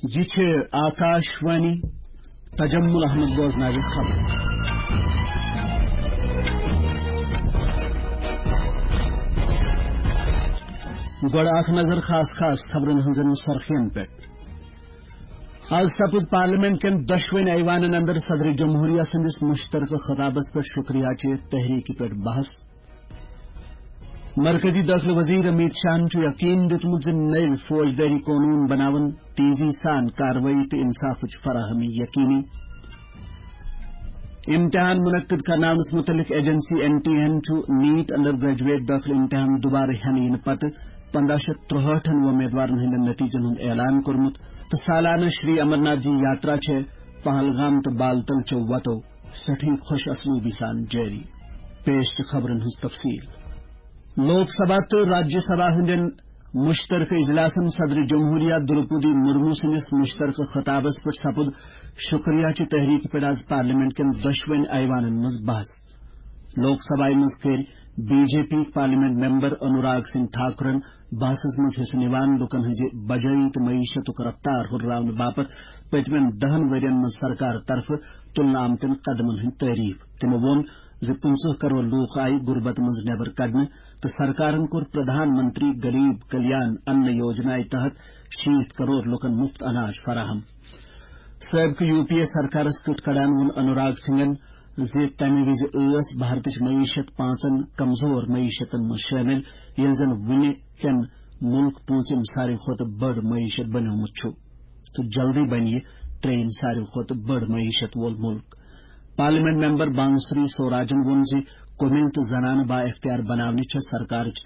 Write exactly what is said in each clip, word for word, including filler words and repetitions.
یہِ چھِ آکاش وانی۔ تجمل احمد بوزناوِ خبر۔ گۄڈٕ اکھ نظر خاص خاص خبرن ہٕنٛزن سرخین پٮ۪ٹھ۔ از سپُد پارلیمنٹ کٮ۪ن دۄشوٕنۍ ایوانن اندر صدر جمہوریہ سٕنٛدِس مشترکہٕ خطابس پٮ۪ٹھ شکریہ چہِ تحریکہِ پٮ۪ٹھ بحث۔ مرکزی دٲخلہٕ وزیر امیت شاہن چھُ یقین دیُتمُت زِ نٔوۍ فوجدٲری قونوٗن بناوُن تیزی سان کاروٲیی تہٕ انصافٕچ فراہمی یقینی۔ امتحان منعقد کرناونس متعلق ایجنسی این ٹی اے ہن چھُ نیٹ انڈر گریجویٹ دٲخلہٕ امتحان دوبارٕ ہٮ۪نہٕ یِنہٕ پتہٕ پنداہ شیٚتھ ترٛہٲٹھن وۄمیدوارن ہٕنٛدٮ۪ن نتیجن ہُنٛد اعلان کوٚرمُت تہٕ سالانہٕ شری امرناتھ جی یاترا چھےٚ پہلگام تہٕ بالتل چٮ۪و وتو سٮ۪ٹھٕے خۄش اسلوبی سان جٲری۔ پیش چھِ خبرن ہٕنٛز تفصیل۔ لوک سبھا تہٕ راجیہ سبھا ہٕنٛدٮ۪ن مشترکہٕ اجلاسن صدر جمہوریہ درپودی مرمو سٕنٛدِس مشترکہٕ خطابس پٮ۪ٹھ سپُد شکریہ چہِ تحریکہِ پٮ۪ٹھ از پارلیمنٹ کٮ۪ن دۄشوٕنۍ ایوانن منٛز بحث۔ لوک سبھایہ منٛز کٔرۍ B J P parliament member Anurag Singh ٹھاکرن بحثس منٛز حصہٕ نِوان لوٗکن ہٕنٛزِ بجٲیی تہٕ معیشتُک رفتار ہُرراونہٕ باپتھ پٔتمٮ۪ن دَہن ؤرین منٛز سرکار طرفہٕ تُلنہٕ آمتٮ۪ن قدمن ہٕنٛدۍ تعریف۔ تِمو ووٚن زِ پٕنٛژٕہ کرور لوٗکھ آیہِ غربت منٛز نٮ۪بر کڑنہٕ تہٕ سرکارن کوٚر پرٛدھان منتری غریب کلیان ان یوجنایہِ تحت شیٖتھ کرور لوٗکن مُفت اناج فراہم۔ سٲبقہٕ یو پی اے سرکارس کیُتھ کڑان ووٚن انوراگ سنگھن زِ تمہِ وِزِ ٲس بھارتٕچ معیشت پانٛژن کمزور معیشتن منٛز شٲمِل، ییٚلہِ زن وُنہِ کٮ۪ن مُلک پوٗنٛژِم ساروی کھۄتہٕ بٔڑ معیشت بنیومُت چھُ تہٕ جلدی بنہِ یہِ ترٛیٚیِم ساروی کھۄتہٕ بٔڑ معیشت وول مُلک۔ پارلیمنٹ ممبر بانسری سوراجن ووٚن زِ کُمِل تہٕ زنانہٕ با اختیار بناونٕچ چھےٚ سرکارٕچ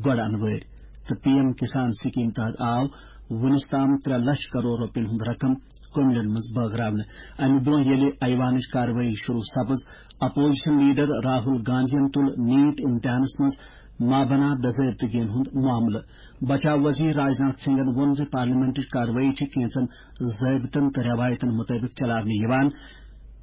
گۄڈٕ انوٲرۍ تہٕ پی ایم کسان سکیم تحت آو وُنِس تام ترٛےٚ لچھ کرور رۄپین ہُنٛد رقم کُملن منٛز بٲگراونہٕ۔ امہِ برٛونٛہہ ییٚلہِ ایوانٕچ کاروٲیی شروع سپٕز، اپوزیشن لیڈر راہل گاندھین تُل نیٹ امتحانس منٛز مابنا بے ضٲبطگین ہُنٛد معاملہٕ۔ بچاو وزیر راجناتھ سنگھن ووٚن زِ پارلیمنٹٕچ کاروٲیی چھِ کینٛژن ضٲبطن تہٕ رٮ۪وایتن مُطٲبِق چلاونہٕ یِوان۔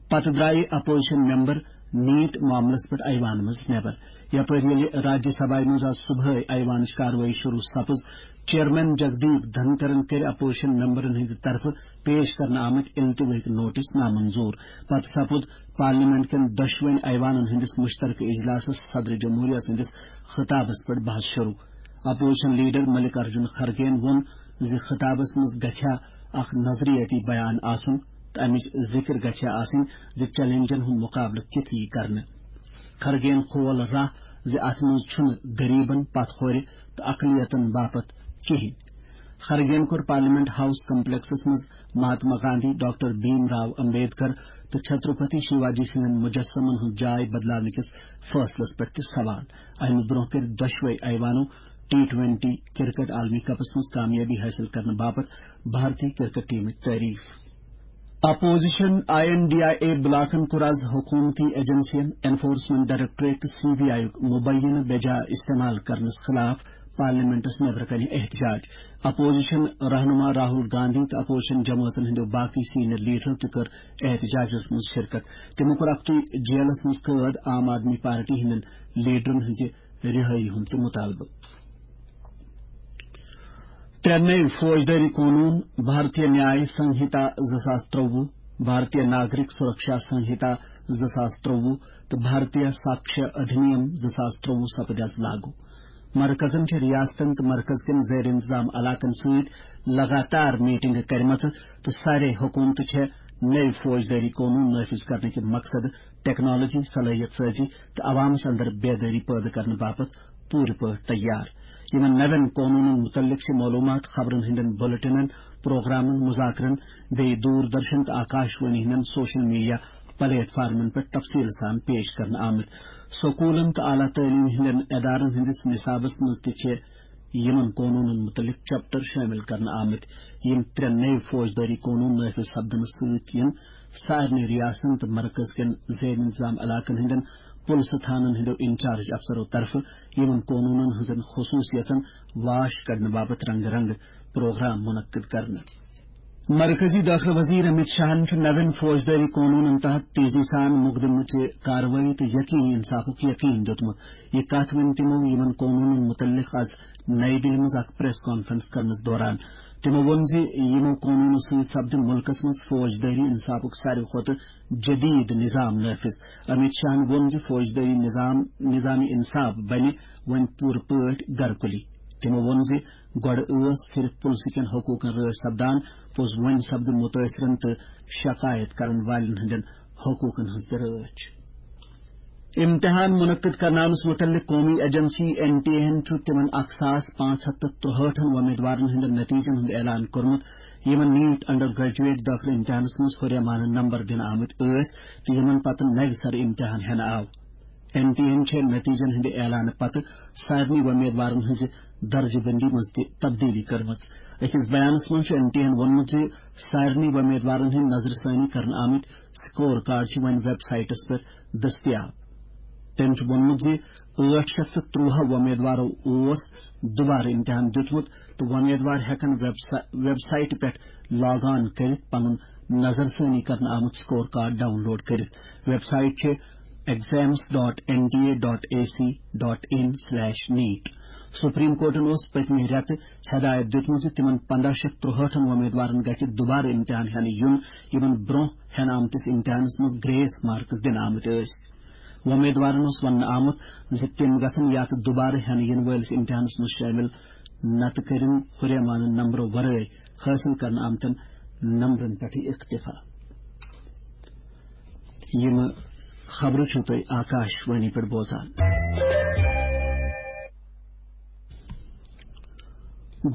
پتہٕ درٛایہِ اپوزیشن ممبر نیٹ معاملس پٮ۪ٹھ ایوان منٛز نٮ۪بر۔ یپٲرۍ ییٚلہِ راجیہ سبھایہ منٛز آز صبحٲے ایوانٕچ کاروٲیی شروع سپٕز، چیئرمین جگدیپ دھنکرن کٔرۍ اپوزیشن ممبرن ہٕنٛدِ طرفہٕ پیش کرنہٕ آمٕتۍ التوٲہٕکۍ نوٹس نامنظور۔ پتہٕ سپُد پارلیمنٹ کٮ۪ن دۄشوٕنۍ ایوانن ہٕنٛدِس مشترکہٕ اجلاسس صدر جمہوریہ سٕنٛدِس خطابس پٮ۪ٹھ بحث شروع۔ اپوزیشن لیڈر ملک ارجن خرگین ووٚن زِ خطابس منٛز گژھِ ہا اکھ نظریٲتی بیان آسُن تہٕ امِچ ذکر گژھِ ہا آسٕنۍ زِ چیلنجن ہُنٛد مقابلہٕ کِتھ یی کرنہٕ۔ خرگین کھول راہ زِ اتھ منٛز چھُنہٕ غریبن، پتھ کھورِ تہٕ اقلیتن باپتھ کِہینۍ۔ خرگین کوٚر پارلیمنٹ ہاؤس کمپلیکسس منٛز مہاتما گاندھی، ڈاکٹر بھیم راو امبیڈکر تہٕ چھترپتی شیواجی سٕنٛدٮ۪ن مجسمن ہٕنٛز جاے بدلاونہٕ کِس فٲصلس پٮ۪ٹھ تہِ سوال۔ امہِ برٛونٛہہ کٔرۍ دۄشوے ایوانو ٹی ٹوینٹی کرکٹ عالمی کپس منٛز کامیٲبی حٲصِل کرنہٕ باپتھ بھارتی کرکٹ ٹیمٕچ تعریف۔ Opposition I N D I A بلاکن کوٚر از حکومتی ایجنسین، انفورسمنٹ ڈائریکٹوریٹ تہٕ سی بی آئی یُک مبینہٕ بے جا استعمال کرنس خلاف پارلیمنٹس نیبرٕ کنہِ احتجاج۔ اپوزیشن رہنما راہل گاندھی تہٕ اپوزیشن جمٲژن ہٕنٛدیو باقٕے سینئر لیڈرو تہِ کٔر احتجاجس منٛز شرکت۔ تِمو کوٚر اکھتُے جیلس منٛز قٲد عام آدمی پارٹی ہٕنٛدٮ۪ن لیڈرن ہٕنٛزِ رِہٲیی ہُنٛد تہِ مطالبہٕ۔ ترٛےٚ نٔوۍ فوجدٲری قونوٗن، بھارتیہ نیاے سنہیتا زٕ ساس ترٛۆوُہ، بھارتیہ ناگرک سرکشا سنہیتا زٕ ساس ترٛۆوُہ تہٕ بھارتیہ ساکشیہ ادھینیم زٕ ساس ترٛۆوُہ سپدِ از لاگو۔ مرکزن چھِ ریاستن تہٕ مرکز کٮ۪ن زیر انتظام علاقن سۭتۍ لگاتار میٹنگہٕ کرِمژٕ تہٕ سارے حکومتہٕ چھےٚ نٔوۍ فوجدٲری قونوٗن نافذ کرنہٕ کہِ مقصدٕ ٹیکنالوجی، صلٲحیت سازی تہٕ عوامس اندر بیدٲری پٲدٕ کرنہٕ باپتھ پوٗرٕ پٲٹھۍ تیار۔ یِمن نوٮ۪ن قونوٗنن مُتعلق چھِ معلوٗمات خبرن ہٕنٛدٮ۪ن بُلٹنن، پروگرامن، مذاکرن، بیٚیہِ دوٗر درشن تہٕ آکاش وانی ہٕنٛدٮ۪ن سوشل میڈیا پلیٹ فارمن پٮ۪ٹھ تفصیٖل سان پیش کرنہٕ آمٕتۍ۔ سکوٗلن تہٕ اعلیٰ تعلیٖم ہٕنٛدٮ۪ن ادارن ہٕنٛدِس نصابس منٛز تہِ چھِ یِمن قونوٗنن مُتعلق چیپٹر شٲمِل کرنہٕ آمٕتۍ۔ یِم ترٛےٚ نٔوۍ فوجدٲری قونوٗن نافذ سپدنہٕ سۭتۍ یِن سارنٕے ریاستن تہٕ مرکز کٮ۪ن زیر انتظام علاقن ہٕنٛدٮ۪ن پُلسہٕ تھانن ہٕنٛدیو انچارج افسرو طرفہٕ یِمن قونوٗنن ہٕنٛزن خصوٗصیژن واش کڑنہٕ باپتھ رنگہٕ رنگہٕ پروگرام منعقد کرنہٕ۔ مرکزی دٲخلہٕ وزیر امیت شاہن چھُ نوٮ۪ن فوجدٲری قونوٗنن تحت تیزی سان مقدمہٕ چہِ کاروٲیی تہٕ یقینی انصافُک یقین دیُتمُت۔ یہِ کتھ ؤنۍ تِمو یِمن قونوٗنن مُتعلق از نئی دِلہِ منٛز اکھ پریس کانفرنس کرنس دوران۔ تِمو ووٚن زِ یِمو قونوٗنو سۭتۍ سپدِ مُلکس منٛز فوجدٲری انصافُک ساروی کھۄتہٕ جدید نظام نافذ۔ امیت شاہن ووٚن زِ فوجدٲری نظام، نظام انصاف بنہِ وۄنۍ پوٗرٕ پٲٹھۍ گرکُلی۔ تِمو ووٚن زِ گۄڈٕ ٲس صرف پُلسہٕ کٮ۪ن حقوٗقن رٲچھ سپدان، پوٚز وۄنۍ سپدِ مُتٲثرن تہٕ شکایت کرن والٮ۪ن ہٕنٛدٮ۪ن حقوٗقن ہٕنٛز تہِ رٲچھ۔ امتحان منعقد کرناونس متعلق قومی ایجنسی این ٹی اے ہن چھُ تِمن اکھ ساس پانٛژھ ہتھ تہٕ ترُہٲٹھن وۄمیدوارن ہٕنٛدٮ۪ن نتیجن ہُنٛد اعلان کوٚرمُت، یِمن نیٹ انڈر گریجویٹ دٲخلہٕ امتحانس منٛز ہُریمانہٕ نمبر دِنہٕ آمٕتۍ ٲسۍ تہٕ یِمن پتہٕ نوِ سرٕ امتحان ہٮ۪نہٕ آو۔ این ٹی اے ہن چھِ نتیجن ہٕنٛدِ اعلانہٕ پتہٕ سارنٕے وۄمیدوارن ہٕنٛزِ درجہٕ بندی منٛز تہِ تبدیلی کٔرمٕژ۔ أکِس بیانس منٛز چھُ این ٹی اے ہن ووٚنمُت زِ سارنٕے وۄمیدوارن ہٕنٛدۍ نظرِ ثٲنی کرنہٕ آمٕتۍ سکور کارڈ چھِ وۄنۍ ویب سائٹس پٮ۪ٹھ دٔستیاب۔ تٔمۍ چھُ ووٚنمُت زِ ٲٹھ شیٚتھ تہٕ ترٛواہ وۄمیدوارو اوس دُبارٕ امتحان دیُتمُت تہٕ وۄمیدوار ہٮ۪کن ویب سا-، ویب سائٹہِ پٮ۪ٹھ لاگ آن کٔرِتھ پنُن نظر ثٲنی کرنہٕ آمُت سکور کارڈ ڈاؤن لوڈ کٔرِتھ۔ ویب سائٹ چھِ exams dot N T A dot A C dot in slash net. Supreme کورٹن اوس پٔتمہِ رٮ۪تہٕ ہدایت دیُتمُت زِ تِمن پنداہ شیٚتھ ترُہٲٹھن وۄمیدوارن گژھِ دُبارٕ امتحان ہٮ۪نہٕ یُن، یِمن برونٛہہ ہٮ۪نہٕ آمتِس امتحانس منٛز گریس مارکس دِنہٕ آمٕتۍ ٲسۍ۔ وۄمیدوارن اوس وننہٕ آمُت زِ تِم گژھن یتھ دُبارٕ ہٮ۪نہٕ یِنہٕ وٲلِس امتحانس منٛز شٲمِل، نتہٕ کٔرِن ہُریمانہٕ نمبرو ورٲے حٲصِل کرنہٕ آمتٮ۪ن نمبرن پٮ۪ٹھٕے اکتفا۔ یِم خبرٕ چھِو تُہۍ آکاش وانی پٮ۪ٹھ بوزان۔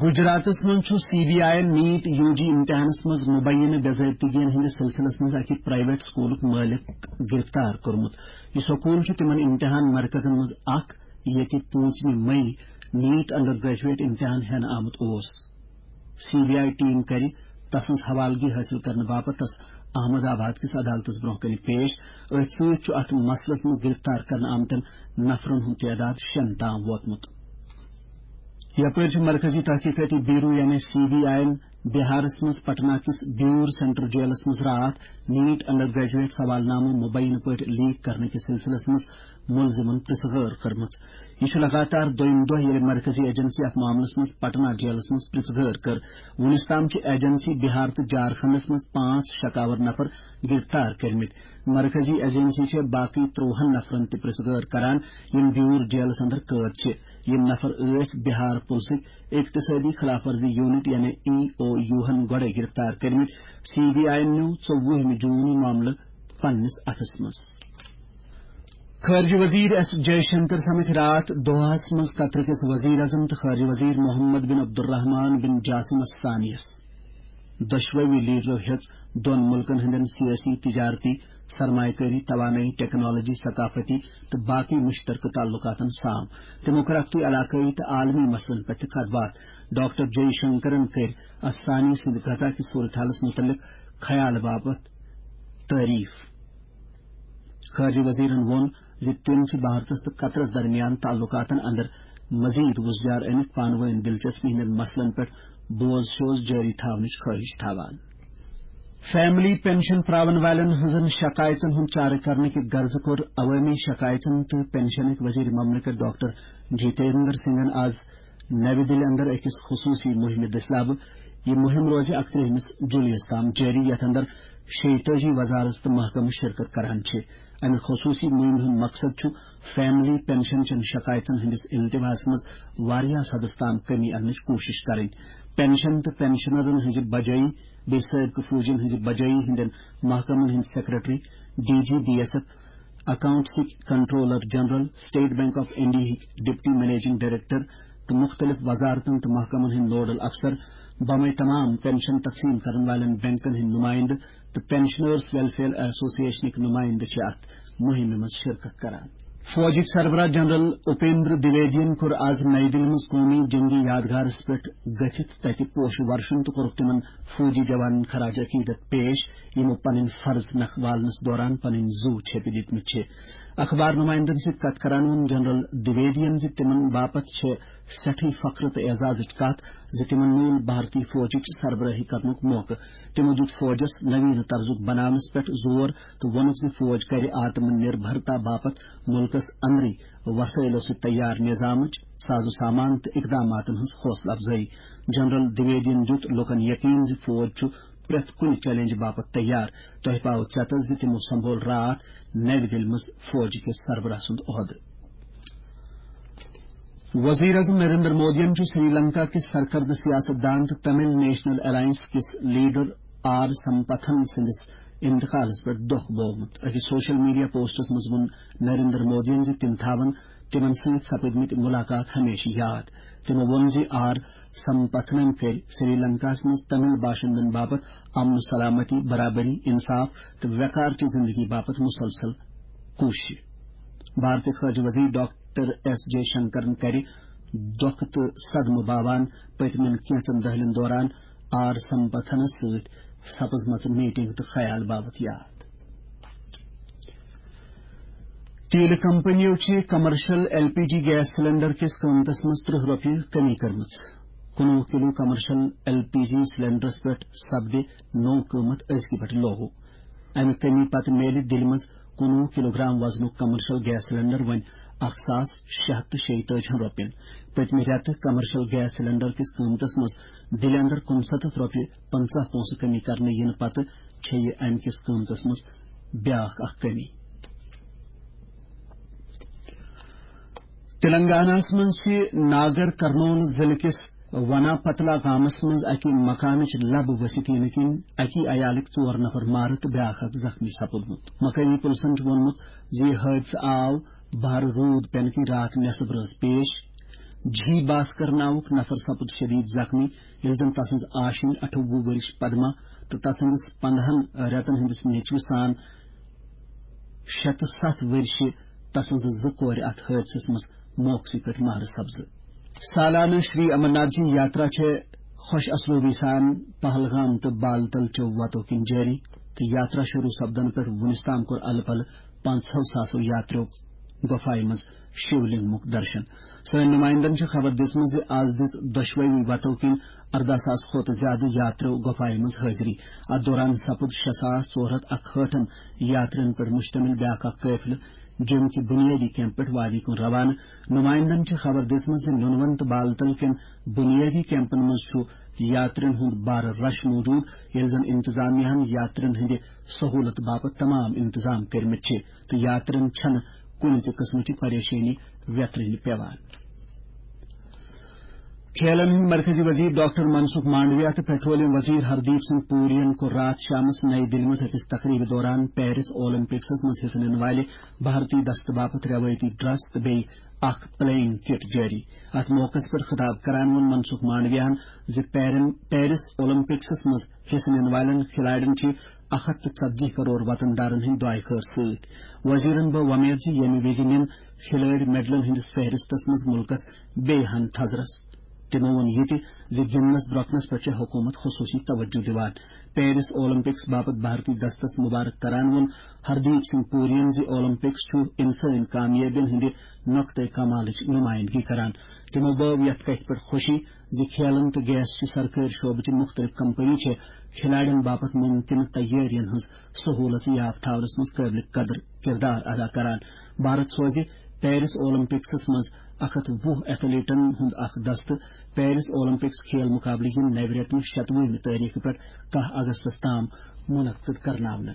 گجراتس منٛز چھُ سی بی آئی یَن نیٹ یو جی امتحانس منٛز مبینہ بے ضٲبطگین ہٕنٛدِس سلسلس منٛز اکہِ پرائیویٹ سکولُک مٲلک گرفتار کوٚرمُت۔ یہِ سکول چھُ تِمن امتحان مرکزن منٛز اکھ، ییٚتہِ پوٗنٛژمہِ مئی نیٹ انڈر گریجویٹ امتحان ہٮ۪نہٕ آمُت اوس۔ سی بی آئی ٹیم کرِ تسٕنٛز حوالگی حٲصِل کرنہٕ باپتھ تس احمد آباد کِس عدالتس برٛونٛہہ کنہِ پیش۔ أتھۍ سۭتۍ چھُ اتھ مسلس منٛز گرفتار کرنہٕ آمتٮ۪ن نفرن ہُنٛد تعداد شیٚن تام ووتمُت۔ یپٲرۍ چھُ مرکزی تحقیقاتی بیورو یعنی سی بی آئی یَن بہارس منٛز پٹنہ کِس بیور سینٹر جیلس منٛز راتھ نیٹ انڈر گریجویٹ سوال نامہٕ مبینہ پٲٹھۍ لیک کرنہٕ کِس سلسلس منٛز ملزمن پرژھ غٲر کٔرمٕژ۔ یہِ چھُ لگاتار دوٚیِم دۄہ ییٚلہِ مرکزی ایجنسی اتھ معاملس منٛز پٹنہ جیلس منٛز پرژھ غٲر کٔر۔ وُنیُس تام چھِ ایجنسی بہار تہٕ جھارکھنڈس منٛز پانٛژھ شکاور نفر گرفتار کٔرمٕتۍ۔ مرکزی ایجنسی چھےٚ باقٕے ترٛۆہَن نفرن تہِ پرژھ غٲر کران، یِم بیور جیلس اندر قٲد چھِ۔ یِم نفر ٲسۍ بہار پُلسٕکۍ اقتصٲدی خلاف ورزی یونٹ یعنی ای او یوٗہن گۄڈے گرفتار کٔرمٕتۍ۔ سی بی آئی یَن نیوٗ ژوٚوُہمہِ جوٗن یہِ معاملہٕ پننِس اتھس منٛز۔ خارجہ وزیر ایس جے شنکر سمکھ راتھ دوحہ ہس منٛز قطر کِس وزیر اعظم تہٕ خارجہ وزیر محمد بن عبدالرحمان بن جاسم الثانی یس۔ دۄشوٕے لیڈرو ہیٚژ دۄن مُلکن ہٕنٛدٮ۪ن سیٲسی، تجارتی، سرمایہ کٲری، توانٲیی، ٹیکنالوجی، ثقافتی تہٕ باقی مشترکہ تعلقاتن سام۔ تِمو کٔر اکھتُے علاقٲیی تہٕ عالمی مسلن پٮ۪ٹھ تہِ کتھ باتھ۔ ڈاکٹر جے شنکرن کٔرۍ الثانی سٕنٛدِ قطر کِس صورتحالس مُتعلق خیال باپتھ تعریف۔ خارجہ وزیرن ووٚن زِ تِم چھِ بھارتس تہٕ قطرس درمیان تعلقاتن اندر مزید وُزجار أنِتھ پانہٕ وٲنۍ دلچسپی ہٕنٛدٮ۪ن مسلن پٮ۪ٹھ بوز شوز جٲری تھاونٕچ خٲہِش تھاوان۔ فیملی پینشن پراون والٮ۪ن ہٕنٛزن شکایژن ہُنٛد چارٕ کرنہٕ کہِ غرضہٕ کوٚر عوٲمی شکایژن تہٕ پینشنٕکۍ وزیر مملکت ڈاکٹر جتیندر سنگھن آز نَوِ دِلہِ اندر أکِس خصوٗصی مُہِمہِ دٔسۍ لبہٕ۔ یہِ مُہِم روزِ اَکترٛہمِس جُلایَس تام جٲری، یَتھ اندر شیٚیہِ تٲجی وزارت تہٕ محکمہٕ شرکت کران چھِ۔ اَمہِ خصوٗصی مُہِمہِ ہُنٛد مقصد چھُ فیملی پینشن چٮ۪ن شکایژن ہٕنٛدِس التواہَس منٛز واریاہ حدس تام کمی اننٕچ کوٗشش کرٕنۍ۔ پینشن تہٕ پینشنرن ہٕنٛزِ بجٲیی بیٚیہِ سٲبقہٕ فوجین ہٕنٛزِ بجٲیی ہٕنٛدٮ۪ن محکمن ہٕنٛدۍ secretary, D G B S F, اکاؤنٹسٕکۍ controller general, state bank of انڈیاہٕکۍ ڈپٹی منیجنگ ڈائریکٹر تہٕ مُختٔلِف وزارتن تہٕ محکمن ہٕنٛدۍ نوڈل افسر، بمے تمام پینشن تقسیٖم کرن والٮ۪ن بینکن ہٕنٛدۍ نُمٲیندٕ تہٕ پینشنرز ویلفیئر ایسوسی ایشنٕکۍ نُمٲیندٕ چھِ اتھ مُہِمہِ منٛز شرکت کران۔ فوجٕکۍ سربراہ جنرل اپیندر دویدین کوٚر آز نئی دِلہِ منٛز قومی جنگی یادگارس پٮ۪ٹھ گٔژھِتھ تتہِ پوشہٕ ورشن تہٕ کوٚرُکھ تِمن فوجی جوانن خراج عقیدت پیش، یِمو پنٕنۍ فرض نکھٕ والنس دوران پنٕنۍ زُو چھیٚپہِ دِتمٕتۍ چھِ۔ اخبار نمائندن سۭتۍ کتھ کران ووٚن جنرل دویدین زِ تِمن باپتھ چھِ سٮ۪ٹھٕے فخر تہٕ اعزازٕچ کتھ زِ تِمن میوٗل بھارتی فوجٕچ سربرٲہی کرنُک موقعہٕ۔ تِمو دیُت فوجس نویٖن طرزُک بناونس پٮ۪ٹھ زور تہٕ ووٚنُکھ زِ فوج کرِ آتم نربھرتا باپتھ مُلکس اندرٕے وسٲیلو سۭتۍ تیار نظامٕچ، ساز و سامان تہٕ اقداماتن ہٕنٛز حوصلہٕ افزٲیی۔ جنرل دویدین دیُت لوٗکَن یقین زِ فوج چھُ پرٛٮ۪تھ کُنہِ چیلنج باپتھ تیار۔ تۄہہِ پاوٕ ژٮ۪تس زِ تِمو سنبھول راتھ نَوِ دِلہِ منٛز فوج کِس سربراہ سُنٛد عہدٕ۔ وزیر اعظم نریندر مودیَن چھُ سری لنکا کِس سرکردٕ سیاست دان تہٕ تمل نیشنل الائنس کِس لیڈر آر سمپتھن سٕنٛدِس انتقالس پٮ۪ٹھ دۄکھ بوومُت۔ أکِس سوشل میڈیا پوسٹس منٛز ووٚن نریندر مودیَن زِ تِم تھاون تِمن سۭتۍ سپٕدمٕتۍ مُلاقات ہمیشہٕ یاد۔ تِمو ووٚن زِ آر سمپتھنن کٔرۍ سری لنکاہس منٛز تمل باشندن باپتھ امن و سلامتی، برابری، انصاف تہٕ وقار چہِ زندگی باپتھ مسلسل کوٗششہٕ۔ بھارتی خارجہ وزیر ڈاکٹر ایس جے شنکرن کرِ دۄکھ تہٕ صدمہٕ باوان پٔتمٮ۪ن کینٛژن دٔہلٮ۪ن دوران آر سمپتھنس سۭتۍ سپٕزمژٕ میٹنگ تہٕ خیال باپتھ یاد۔ تیل کمپنیو چھِ commercial L P G gas cylinder کِس قۭمتس منٛز ترٕہ رۄپیہِ کمی کٔرمٕژ۔ کُنوُہ kilo commercial L P G سلنڈرس پٮ۪ٹھ سپدِ نوٚو قۭمتھ أزکہِ پٮ۪ٹھ لاگو۔ امہِ کمی پتہٕ میلہِ دِلہِ منٛز کُنوُہ کلوگرام وزنُک کمرشل گیس سلنڈر وۄنۍ اکھ ساس شےٚ ہتھ تہٕ شیٚیہِ تٲجی ہن رۄپین۔ پٔتمہِ رٮ۪تہٕ کمرشل گیس سلنڈر کِس قۭمتس منٛز دِلہِ اندر کُنسَتتھ رۄپیہِ پنٛژاہ پونٛسہٕ کمی کرنہٕ یِنہٕ پتہٕ چھےٚ یہِ امہِ کِس قۭمتس منٛز بیٛاکھ اکھ کمی۔ تلنگاناہس منٛز چھِ ناگر کرنول ضلعہٕ کِس ونا پتلا گامس منٛز اکہِ مکانٕچ لبہٕ ؤسِتھ یِنہٕ کِنۍ اکی عیالٕکۍ ژور نفر مارٕ تہٕ بیٛاکھ اکھ زخمی سپُدمُت۔ مقٲمی پُلسن چھُ ووٚنمُت زِ یہِ حٲدثہٕ آو بھر روٗد پٮ۪نہٕ کِنۍ راتھ نٮ۪صٕب رٲژ پیش۔ جھی باسکر ناوُک نفر سپُد شدید زخمی، ییٚلہِ زن تسٕنز آشِنۍ اَٹھووُہ ؤرِش پدما تہٕ تسٕندِس پندہن رٮ۪تن ہٕندِس نیچوِس سان شےٚ تہٕ ستھ ؤرِش تسٕنزٕ زٕ کورِ اتھ حٲدثس منٛز موقعسٕے پٮ۪ٹھ مارٕ سپزٕ۔ سالانہٕ شری امرناتھ جی یاترا چھےٚ خۄش اسلوبی سان پہلگام تہٕ بالتل چیو وتو کِنۍ جٲری، تہٕ یاترا شروع سپدنہٕ پٮ۪ٹھ وُنِس تام کوٚر الہٕ پلہٕ پانٛژہو ساسو یاتریو گۄپھایہِ منٛز شیو لنگمُک درشن۔ سٲنۍ نمائندن چھِ خبر دِژمٕژ زِ از دِژ دۄشوٕے وتو کِنۍ ارداہ ساس کھۄتہٕ زیادٕ یاتریو گۄپھایہِ منٛز حٲضری۔ اتھ دوران سپُد شےٚ ساس ژور ہتھ اکہٲٹھن یاترین پٮ۪ٹھ مشتمل بیٛاکھ اکھ قٲفلہٕ جوٚم کہِ بنیٲدی کیمپ پٮ۪ٹھ وادی کُن روانہٕ۔ نمائندن چھِ خبر دِژمٕژ زِ نُنون تہٕ بالتل کٮ۪ن بنیٲدی کیمپن منٛز چھُ یاترین ہُنٛد بارٕ رش موجود، ییٚلہِ زن انتظامیہ ہن یاترین ہٕنٛدِ سہولت باپتھ تمام انتظام کٔرمٕتۍ چھِ تہٕ یاترین چھنہٕ کُنہِ تہِ قٕسمٕچہِ پریشٲنی ویترٕنۍ پٮ۪وان۔ کھیلن ہٕنٛدۍ مرکزی وزیر ڈاکٹر منسکھ مانڈویا تہٕ پیٹرولیم وزیر ہردیپ سنگھ پوری ین کوٚر راتھ شامس نئی دِلہِ منٛز أکِس تقریبہِ دوران پیرس اولمپکسس منٛز حصہٕ نِنہٕ والہِ بھارتی دستہٕ باپتھ رٮ۪وٲیتی ڈریس تہٕ بیٚیہِ اکھ پلینگ کٹ جٲری۔ اتھ موقعس پٮ۪ٹھ خطاب کران ووٚن منسکھ مانڈویاہن زِ پیرن-، پیرس اولمپکسس منٛز حصہٕ نِنہٕ والٮ۪ن کھلاڑٮ۪ن چھِ اکھ ہتھ تہٕ ژتجی کرور وطن دارن ہٕنٛدۍ دعایہِ خٲر سۭتۍ۔ وزیرن بٲو وۄمید زِ ییٚمہِ وِزِ نِن کھلٲڑۍ میڈلن ہٕنٛدِس فہرستس منٛز مُلکس بیٚیہِ ہن تھزرس۔ تِمو ووٚن یہِ تہِ زِ گِنٛدنس درۄکنس پٮ۪ٹھ چھےٚ حکوٗمت خصوٗصی توجہ دِوان۔ پیرس اولمپکس باپتھ بھارتی دستس مبارک کران ووٚن ہردیپ سنگھ پوریَن زِ اولمپکس چھُ انسٲنی کامیٲبین ہٕنٛدِ نقطہ کمالٕچ نمائندگی کران۔ تِمو بٲو یتھ کتھِ پٮ۪ٹھ خوشی زِ کھیلن تہٕ گیس چہِ سرکٲرۍ شعبہٕ چہِ مختلف کمپنی چھےٚ کھلاڑٮ۪ن باپتھ ممکنہٕ تیٲرین ہٕنٛز سہولت یاب تھاونس منٛز قٲبلِ قدر کردار ادا کران۔ بھارت سوزِ پیرس اولمپکسس منٛز اکھ ہتھ وُہ ایتھلیٹن ہُنٛد اکھ دستہٕ۔ پیرس اولمپکس کھیل مقابلہٕ یِن نوِ رٮ۪تہٕ شتوُہمہِ تٲریخہٕ پٮ۪ٹھ کاہ اگستس تام منعقد کرناونہٕ۔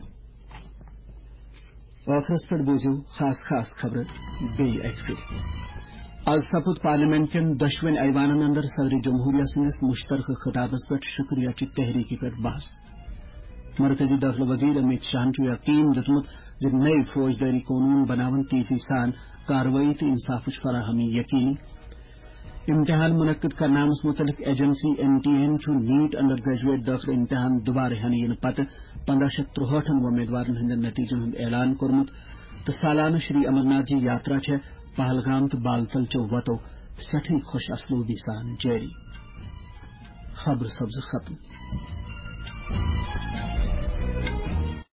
ٲخرس پٮ۪ٹھ بوٗزِو خاص خاص خبرٕ بیٚیہِ اکہِ پھِرِ۔ از سپُد پارلیمنٹ کٮ۪ن دۄشوٕنۍ ایوانن اندر صدر جمہوریہ سٕنٛدِس مشترکہٕ خطابس پٮ۪ٹھ شکریہ چہِ تحریٖکہِ پٮ۪ٹھ بحث۔ مرکزی دٲخلہٕ وزیر امیت شاہن چھُ یقین دیُتمُت زِ نٔوۍ فوجدٲری قونوٗن بناون تیزی سان کاروٲیی تہٕ انصافٕچ فراہمی یقینی۔ امتحان منعقد کرناونس متعلق ایجنسی این ٹی اے ہن چھُ نیٹ انڈر گریجویٹ دٲخلہٕ امتحان دوبارٕ ہینہٕ یِنہٕ پتہٕ پنداہ شیٚتھ ترُہٲٹھن وۄمیدوارن ہٕنٛدٮ۪ن نتیجن ہُنٛد اعلان کوٚرمُت تہٕ سالانہٕ شری امرناتھ جی یاترا چھےٚ پہلگام تہٕ بالتل چیو وتو سٮ۪ٹھٕے خۄش اسلوبی سان جٲری۔ خبرٕ سپزٕ ختم۔